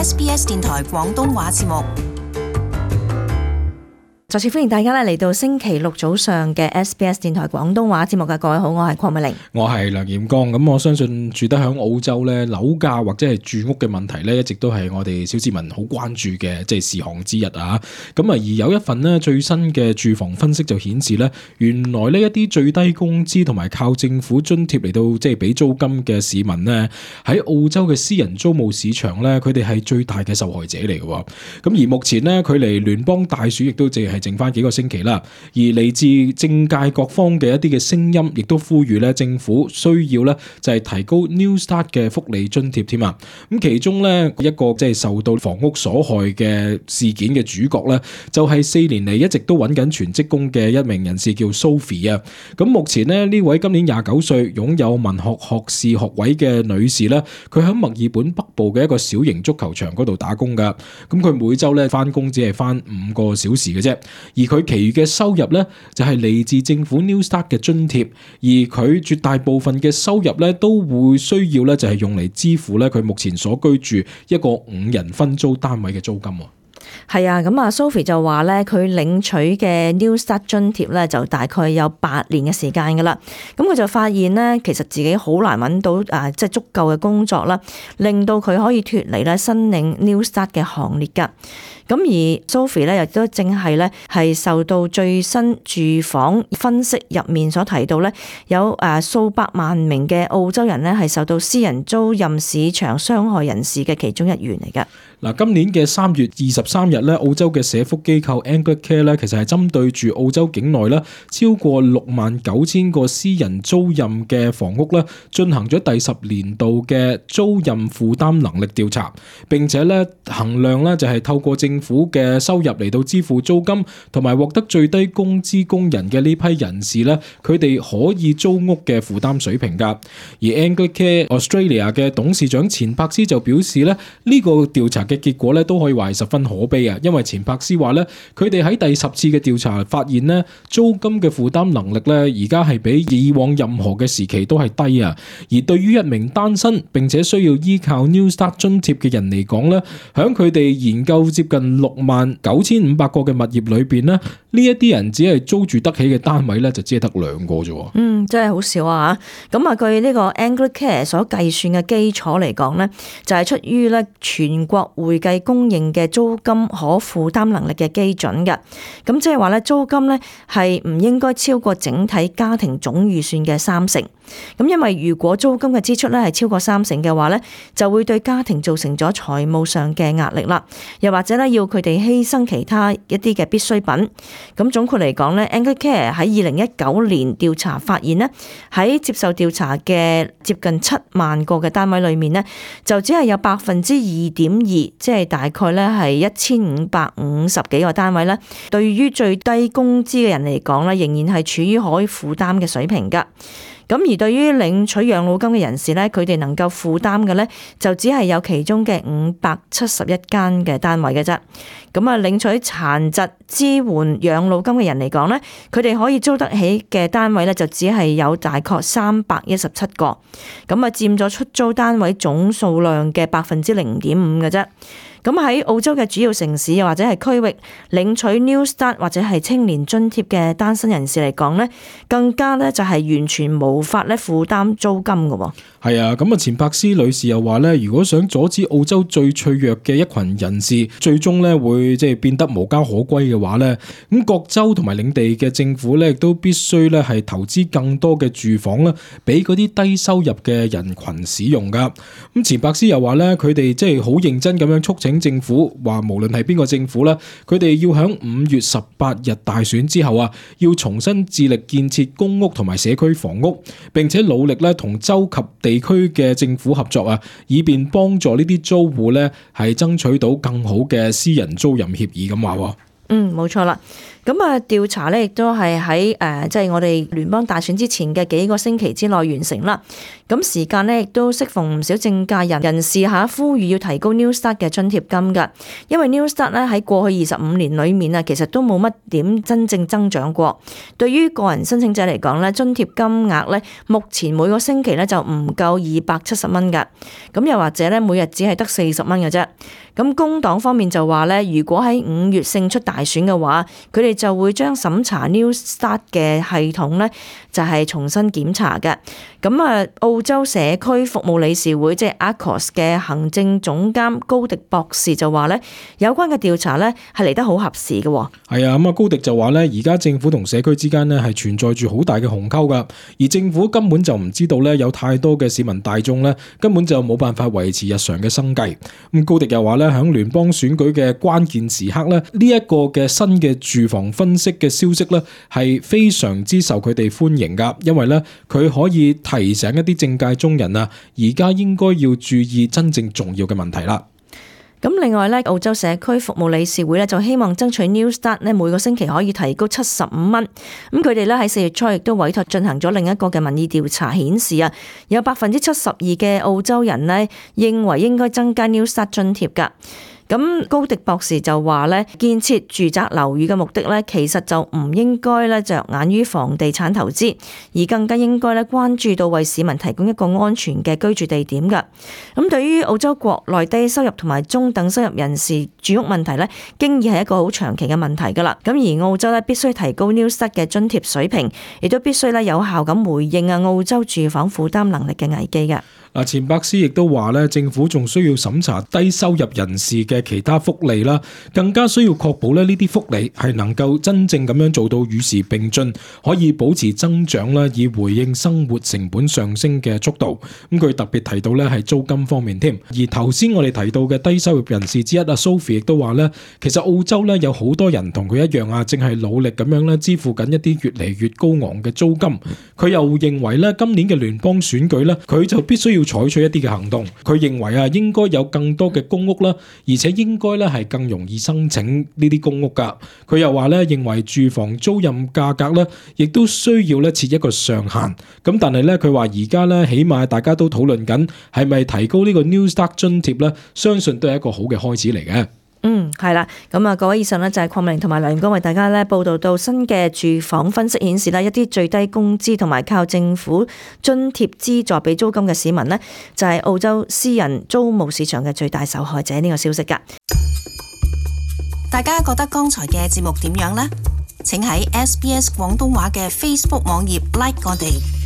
SBS 電台廣東話節目。再次歡迎大家嚟到星期六早上嘅 SBS 電台廣東話節目嘅各位好，我係鄺美玲，我係梁彥剛。咁我相信住得響澳洲咧，樓價或者係住屋嘅問題咧，一直都係我哋小市民好關注嘅事項之一啊。咁啊，而有一份咧最新嘅住房分析就顯示咧，原來呢一啲最低工資同埋靠政府津貼嚟到俾租金嘅市民咧，喺澳洲嘅私人租務市場咧，佢哋係最大嘅受害者嚟嘅。咁而目前咧，距離聯邦大選亦都淨係剩翻幾個星期啦，而嚟自政界各方嘅一啲嘅聲音，亦都呼籲咧政府需要咧就係提高 New Start 嘅福利津貼添啊！咁其中咧一個受到房屋所害嘅事件嘅主角咧，就係4年嚟一直都揾緊全職工嘅一名人士叫 Sophie 啊！咁目前咧呢位今年29歲，擁有文學學士學位嘅女士咧，佢喺墨爾本北部嘅一個小型足球場嗰度打工噶。咁佢每週咧翻工只係翻5個小時嘅啫。而佢其餘嘅收入咧，就係嚟自政府 New Start 嘅津貼，而佢絕大部分嘅收入咧，都會需要咧，就係用嚟支付咧佢目前所居住一個5人分租單位嘅租金。係啊，咁啊 Sophie 就話咧，佢領取嘅 New Start 津貼咧，就大概有8年嘅時間噶啦。咁佢就發現咧，其實自己好難揾到足夠嘅工作啦，令到佢可以脫離咧申領 New Start 嘅行列噶。咁而 Sophie 咧，亦都正係咧係受到最新住房分析入面所提到咧，有數百萬名嘅澳洲人咧係受到私人租賃市場傷害人士嘅其中一員嚟噶。嗱，今年嘅3月23日咧，澳洲嘅社福機構 Anglicare 咧，其實係針對住澳洲境內咧超過69,000個私人租賃嘅房屋咧，進行咗第10年度嘅租賃負擔能力調查，並且咧衡量咧就係透過政府嘅收入嚟到支付租金，同埋獲得最低工資工人嘅呢批人士咧，佢哋可以租屋嘅負擔水平㗎。而 Anglicare Australia 嘅董事長錢柏斯就表示咧，呢個調查嘅結果咧都可以話係十分可悲啊！因為錢柏斯話咧，佢哋喺第10次嘅調查發現咧，租金嘅負擔能力咧而家係比以往任何嘅時期都係低啊！而對於一名單身並且需要依靠 New Start 津貼嘅人嚟講咧，響佢哋研究接近69,500個嘅物業裏邊咧，呢一啲人只係租住得起嘅單位咧，就只係得2個啫。真係好少啊！咁啊，據呢個 Anglicare 所計算嘅基礎嚟講咧，就係出於咧全國會計公認嘅租金可負擔能力嘅基準嘅。咁即係話咧，租金咧係唔應該超過整體家庭總預算嘅30%。咁因為如果租金嘅支出咧係超過30%嘅話咧，就會對家庭造成咗財務上嘅壓力啦。又或者咧要佢哋犧牲其他一啲嘅必需品。咁總括嚟講咧 Anglicare 喺2019年調查發現咧，喺接受調查嘅接近7萬個嘅單位裏面咧，就只係有2.2%，即係大概咧係1550幾個單位咧，對於最低工資嘅人嚟講咧，仍然係處於可以負擔嘅水平噶。咁而對於領取養老金嘅人士咧，佢哋能夠負擔嘅咧，就只係有其中嘅571間嘅單位嘅啫。咁啊，領取殘疾支援養老金嘅人嚟講咧，佢哋可以租得起嘅單位咧，就只係有大概317個。咁啊，佔咗出租單位總數量嘅0.5%嘅啫。咁喺澳洲嘅主要城市又或者係區域領取 New Start 或者係青年津貼嘅單身人士嚟講咧，更加咧就係完全無法咧負擔租金嘅。係啊，咁啊，錢柏斯女士又話咧，如果想阻止澳洲最脆弱嘅一群人士最終咧會變得無家可歸嘅話咧，咁各州同埋領地嘅政府咧亦都必須咧係投資更多嘅住房啦，俾嗰啲低收入嘅人群使用噶。咁錢柏斯又話咧，佢哋好認真咁樣促請政府，話無論係邊個政府啦，佢哋要喺5月18日大選之後啊，要重新致力建設公屋同埋社區房屋，並且努力咧同州及地區嘅政府合作啊，以便幫助呢啲租戶咧係爭取到更好嘅私人租賃協議咁話。冇錯啦。咁啊，調查咧亦都係喺即係我哋聯邦大選之前嘅幾個星期之內完成啦。咁時間咧亦都適逢唔少政界人士呼籲要提高 New Start 嘅津貼金㗎，因為 New Start 咧喺過去25年裏面啊，其實都冇乜點真正增長過。對於個人申請者嚟講咧，津貼金額咧目前每個星期咧就唔夠270蚊㗎，咁又或者咧每日只係得40蚊嘅啫。咁工黨方面就話咧，如果喺5月勝出大選嘅話，佢哋就會將審查 New Start 嘅系統咧就係重新檢查嘅。咁啊，澳洲社區服務理事會即係 ACOS 嘅行政總監高迪博士就話咧，有關嘅調查咧係嚟得好合時嘅。係啊，咁啊高迪就話咧，而家政府同社區之間咧係存在住好大嘅鴻溝噶，而政府根本就唔知道咧有太多嘅市民大眾咧根本就冇辦法維持日常嘅生計。咁高迪又話咧，響聯邦選舉嘅關鍵時刻咧，呢一個嘅新嘅住房分析嘅消息咧係非常之受佢哋歡迎噶，因為咧佢可以提醒一啲政界中人啊，而家應該要注意真正重要嘅問題啦。咁另外咧，澳洲社區服務理事會咧就希望爭取 New Start 咧每個星期可以提高75蚊。咁佢哋咧喺4月初亦都委託進行咗另一個嘅民意調查，顯示啊，有72%嘅澳洲人咧認為應該增加 New Start 津貼㗎。咁高迪博士就話咧，建設住宅樓宇嘅目的咧，其實就唔應該咧着眼於房地產投資，而更加應該咧關注到為市民提供一個安全嘅居住地點㗎。咁對於澳洲國內低收入同埋中等收入人士住屋問題咧，經已係一個好長期嘅問題㗎啦。咁而澳洲咧必須提高 New Start 嘅津貼水平，亦都必須咧有效咁回應澳洲住房負擔能力嘅危機㗎。嗱，錢伯斯亦都話咧，政府仲需要審查低收入人士嘅其他福利啦，更加需要確保咧呢啲福利係能夠真正咁樣做到與時並進，可以保持增長啦，以回應生活成本上升嘅速度。咁佢特別提到咧係租金方面添。而頭先我哋提到嘅低收入人士之一啊 Sophie 亦都話咧，其實澳洲咧有好多人同佢一樣啊，正係努力咁樣咧支付緊一啲越嚟越高昂嘅租金。佢又認為咧今年嘅聯邦選舉咧，佢就必須要採取一啲嘅行動。佢認為啊，應該有更多嘅公屋啦，而且應該咧係更容易申請呢啲公屋噶。佢又話咧，認為住房租賃價格咧，亦都需要咧設一個上限。咁但係咧，佢話而家咧起碼大家都討論緊係咪提高呢個 New Start 津貼咧，相信都係一個好嘅開始嚟嘅。係啦，咁啊，各位以上呢，就係鄺美玲同埋梁光為大家咧報道到新嘅住房分析顯示啦，一啲最低工資同埋靠政府津貼資助俾租金嘅市民呢，就係澳洲私人租務市場嘅最大受害者呢個消息噶。大家覺得剛才嘅節目點樣呢？請喺SBS 廣東話嘅 Facebook 網頁 like 我哋。